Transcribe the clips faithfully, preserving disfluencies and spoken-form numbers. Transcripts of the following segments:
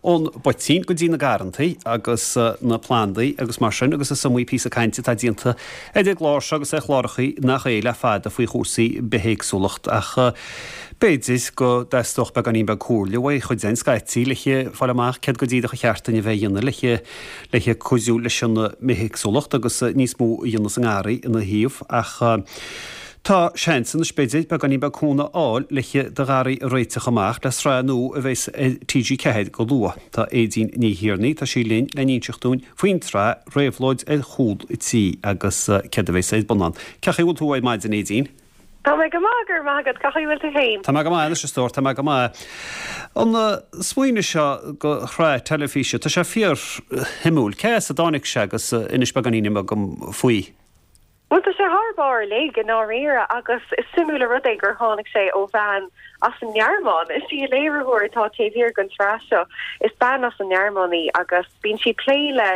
Ón bpoitín go dtí na garrantaí agus na plandaí agus mar sin agus is iomaí píosa cainte atá déanta ar an gclár seo agus ar chlárachaí nach é le fada faoi chúrsaí bithéagsúlacht ach b'fhéidir go dteastódh beagáinín beag comhairle uaidh chuid againn scaití le fáil amach céard go díreach a cheart duinn a bheith a dhéanamh le le cuidiú leis an mbithéagsúlacht agus níos mó a dhéanamh sa ngarraí ina thaobh ach Tá seans anois b'fhéidir beagáinín beag cúnamh a fháil le do gharraí a réiteach amach le sraith nua a bheas ar TG Ceathair go luath. Tá Aedín Ní Thiarnaigh, tá sí linn le n-inseacht dúinn faoin tsraith Réabhlóid ar Chúl an Tí agus céard a bheas ar bun ann. Cén chaoi a bhfuil tú ar maidin, Aedín? Tá mé go maith, go raibh maith agat, cén chaoi a bhfuil tú féin? Tá mé go maith anois a stór, tá mé go maith. An smaoineamh seo go shraith teilifíse, tá sé fíor-shuimiúil. Cé as a dtáinig sé agus inis beagáinín beag dom faoi? Bhuel, tá sé thar barr uilig i ndáiríre agus is suimiúil an rud é gur tháinig sé ó bhean as an nGearmáin. Is í an léiritheoir atá taobh thiar den tsraith seo. Is bean as an nGearmáin í agus bíonn sí ag plé le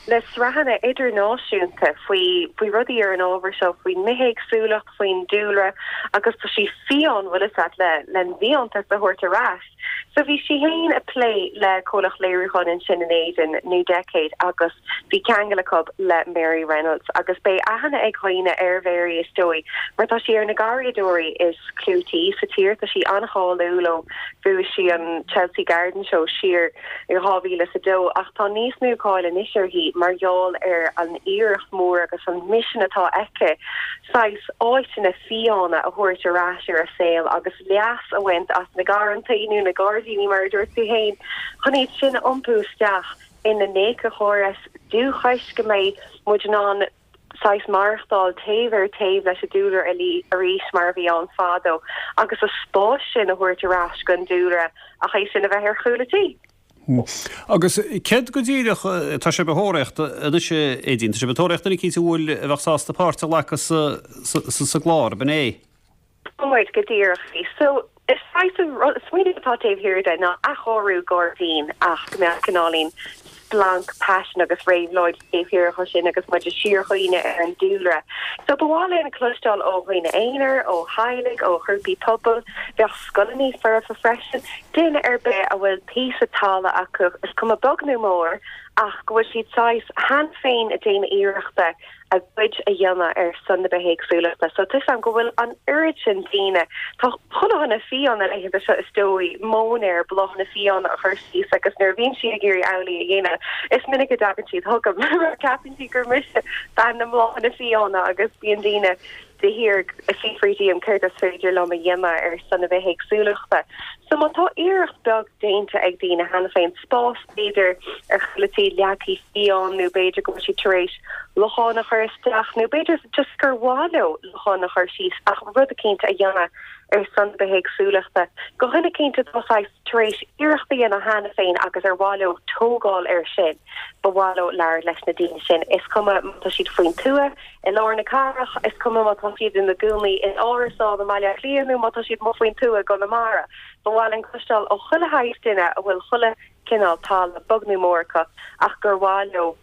le sraitheanna idirnáisiúnta faoi faoi rudaí ar an ábhar seo, faoin mbithéagsúlacht, faoin dúlra agus tá sí fiáin, bhfuil fhios agat, le len bhfiántas a thabhairt ar ais. So bhí sí féin ag plé le comhlacht léiriúcháin ansin in Éirinn, New Decade, agus bhí ceangal acu le Mary Reynolds agus beidh aithne ag dhaoine ar Mhary is dóigh mar tá sí ar na garraíodóirí is clúití sa tír, tá sí an-cháiliúil ó bhuaigh sí an Chelsea Garden Show siar i dhá mhíle is a dó ach tá níos mó cáil anois uirthi mar gheall ar an iarracht mhór agus an misean atá aici saghas áiteanna fiáine a thabhairt ar ais ar an saol agus leas a bhaint as na garrantaí nó na gairdíní mar a dúirt tú féin, chun iad sin a iompú isteach ina n-éiceachóras dúchais, go mbeidh muid in ann saghas maireachtáil taobh ar taobh leis an dúlra arís mar a bhí ann fadó agus an spás sin a thabhairt ar ais don dúlra ach é sin a bheith ar chúl a tí. Agus céard go díreach tá sibh a thóraíocht anois, Aedín? Tá sibh ag tóraíocht duine eicínt a bhfuil a bheadh sásta páirt a ghlacadh sa gclár, ab in é? Tá muid, go díreach. So, is saghas an rud, smaoineamh atá taobh thiar de ná athchóiriú gairdín ach go mbeadh cineáilín splanc paisin agus réabhlóid taobh thiar de sin agus muid ag síorchuimhneamh ar an dúlra. So ba mhaith linn cloisteáil ó dhaoine aonair, ó theaghlaigh, ó ghrúpaí pobail, bheadh scoileanna foirfe freisin, duine ar bith a bhfuil píosa talamh acu, is cuma beag nó mór, ach go bhfuil siad saghas cheana féin ag déanamh iarrachta a gcuid a dhéanamh ar son na bithéagsúlachta. So tá 'fhios a'm go bhfuil an oiread sin daoine, tá chuile dhuine fiáin na laethanta seo is dóigh, móinéar bláthanna fiáine a chur síos agus nuair a bhíonn siad ag iarraidh amhlaidh a dhéanamh is minic a dtagann siad chugam mar ceapann siad gur mise bean na mbláthanna fiáine agus bíonn daoine de shíor ag fiafraí díom céard is féidir liom a dhéanamh ar son na bithéagsúlachta. So má tá iarracht beag déanta ag daoine cheana féin, spás b'fhéidir ar chúl a tí leagtha fiáin nó b'fhéidir go bhfuil siad tar éis lochán a chur isteach nó b'fhéidir just gur mhaith leo lochán a chur síos ach rud eicínt a dhéanamh ar son na bithéagsúlachta. Do dhuine eicínt atá saghas tar éis iarracht a dhéanamh cheana féin agus ar mhaith leo tógáil air sin, ba mhaith leo labhairt leis na daoine sin. Is cuma má tá siad faoin tuath, i lár na cathrach, is cuma má tá siad ina gcónaí in árasán i mBaile Átha Cliath nó má tá siad amuigh faoin tuath i gConamara. Ba mhaith linn cloisteáil ó chuile shaghas duine a bhfuil chuile chineál talamh, beag nó mór acu, ach gur mhaith leo,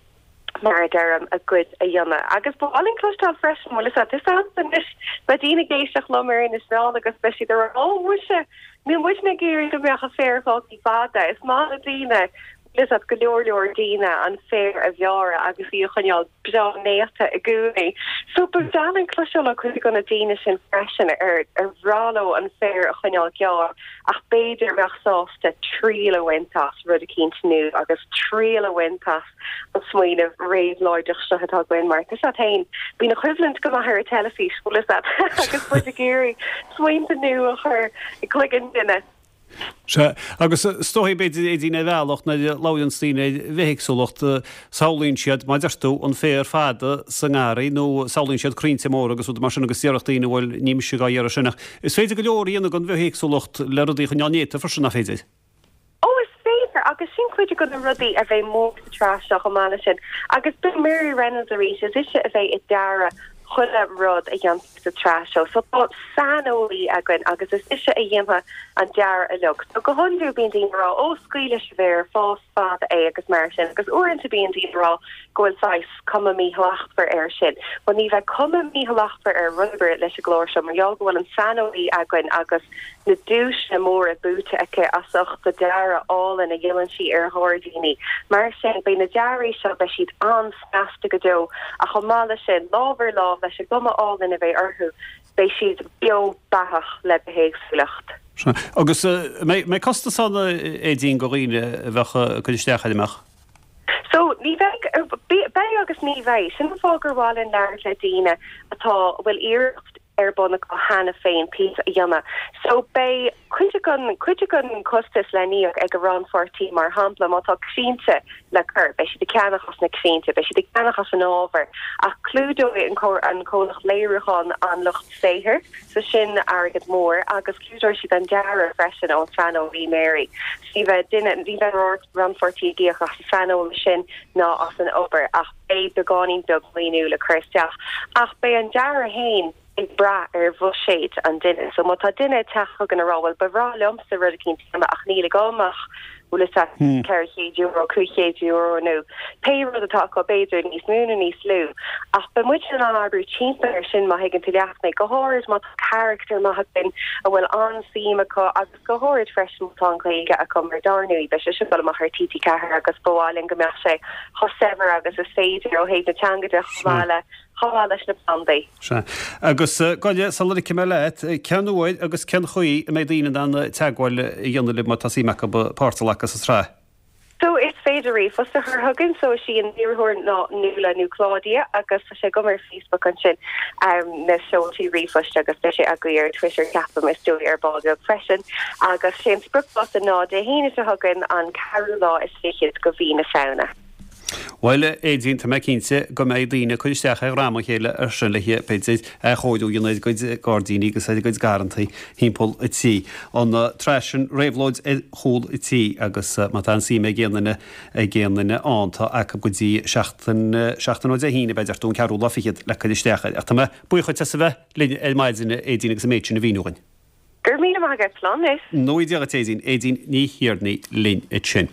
mar a deirim, a gcuid a dhéanamh. Agus ba mhaith linn cloisteáil freisin, bhfuil fhios agat, is anois, beidh daoine ag éisteacht liom ar Inis Meáin agus beidh siad ag rá, 'Ó, muise, níl muidne ag iarraidh go mbeadh an féar fágtha fada. Is maith le daoine, bhfuil fhios agat, go leor leor daoine an féar a bhearradh agus í a choinneáil breá néata i gcónaí. So ba bhreá linn cloisteáil ó chuid de na daoine sin freisin ar ar bhreá leo an féar a choinneáil gearr ach b'fhéidir a bheadh sásta triail a bhaint as rud eicínt nua agus triail a bhaint as an smaoineamh réabhlóideach seo atá againn mar tá 'fhios agat féin, bíonn an choimhlint go maith ar an teilifís, bhfuil 'fhios agat, agus muid ag iarraidh smaointe nua a chur i gcloigeann duine. Sea, agus is dóigh, b'fhéidir, Aedín, ar bhealach, nuair a labhraíonns daoine ar bhithéagsúlacht, samhlaíonn siad, mar a deir tú, an féar fada sa ngarraí nó samhlaíonn siad crainnte móra agus rudaí mar sin agus déarfadh daoine, bhuel, ní mise dhá iarraidh sin ach is féidir go leor a dhéanamh don bhithéagsúlacht le rudaí a choinneáil néata freisin, nach féidir? Ó, is féidir, agus sin cuid de na rudaí a bheidh mór sa tsraith seo chomh maith leis sin. Agus beidh Mary Reynolds arís, is ise a bheidh ag dearadh chuile rud a dhéanfar sa tsraith seo. So tá saineolaí againn agus is ise a dhéanfaidh an dearadh uilig. So go hiondúil bíonn daoine ag rá, ó scaoil leis an bhféar, fás fada é agus mar sin. Agus uaireanta bíonn daoine ag rá go bhfuil saghas cuma míshlachtmhar air sin. Bhuel ní bheidh cuma míshlachtmhar ar rud ar bith leis an gclár seo mar gheall go bhfuil an saineolaí againn agus na duaiseanna móra buaite aici as ucht a dearadh álainn a dhéanann sí ar ghairdíní. Mar sin beidh na dearaí seo beidh siad an-snasta go deo ach chomh maith leis sin lámh ar lámh leis an gcuma álainn a bheidh orthu beidh siad beo beathach le bithéagsúlacht. Agus mbeidh costas ann a Aedín do dhaoine a bheadh ag cur isteach air an mbeadh? So ní bheidh beidh agus ní bheidh sin an fáth gur mhaith linn labhairt le daoine atá bhfuil iarracht ar bun acu cheana féin píosa a dhéanamh. So beidh cuid den cuid den costas le n-íoc ag an rannpháirtí mar shampla má tá crainnte le cur, beidh siad ag ceannach as na crainnte, beidh siad ag ceannach as an ábhar ach clúdóidh an an comhlacht léiriúcháin an lucht saothair, so sin airgead mór agus clúdóidh siad an dearadh freisin ón saineolaí Mary. So ní bheidh duine ní bheidh rannpháirtí ag íoc as an saineolaí sin ná as an obair ach beidh beagáinín beag maoiniú le cur isteach ach beidh an dearadh féin ag brath ar bhuiséad an duine. So má tá duine ag teacht chugainn ag rá well ba bhreá liomsa rud eicínt a dhéanamh ach níl agam ach bhfuil a fhios agat ceithre chéad euro, cúig chéad euro nó pé rud atá acu b'fhéidir níos mó nó níos lú. Ach beidh muid in ann oibriú timpeall air sin má thuigeann tú leat mé, go háirid má tá carachtar maith againn a bhfuil an-suim acu agus go háirid freisin má tá an Ghaeilge acu mar dar ndóigh beidh sé seo ag dul amach ar TG Ceathair agus ba mhaith linn go mbeadh sé chomh saibhir agus is féidir ó thaobh na teanga de chomh maith le chomh maith leis na plandaí. Sea. Agus gabh i leith sula ligfidh mé leat, cén uair agus cén chaoi a mbeidh daoine in ann teagmháil a dhéanamh libh má tá suim acu páirt a ghlacadh sa tsraith? So is féidir ríomhphost a chur chugainn, so is í an léiritheoir ná Nuala nó Claudia agus tá sé agam ar Facebook ansin um, na seoltaí ríomhphoist agus beidh sé agaibh ar Twitter ceapaim is dóigh ar ball beag freisin agus sé an spriocdháta ná Dé hAoine seo chugainn an ceathrú lá is fichead de mhí na Samhna. Bhuel, a Aedín, tá mé cinnte go mbeidh daoine ag cur isteach ar dhroim a chéile ar sin le b'fhéidir athchóiriú a dhéanamh ar a gcuid gairdíní agus ar a gcuid garrantaí thimpeall an tí. An tsraith sin Réabhlóid ar Chúl an Tí agus má tá an suim ag aon duine ag aon duine ann tá acu go dtí seachtain seachtain ó Dé hAoine b'fhéidir don ceathrú lá fichead le cur isteach air. Ach tá mé buíoch duit as a bheith linn ar maidin a Aedín agus an méid sin a mhíniú dhúinn. Go raibh míle maith agat, slán anois. Go ngnóthaí Dia duit Aedín, Aedín Ní Thiarnaigh linn ansin.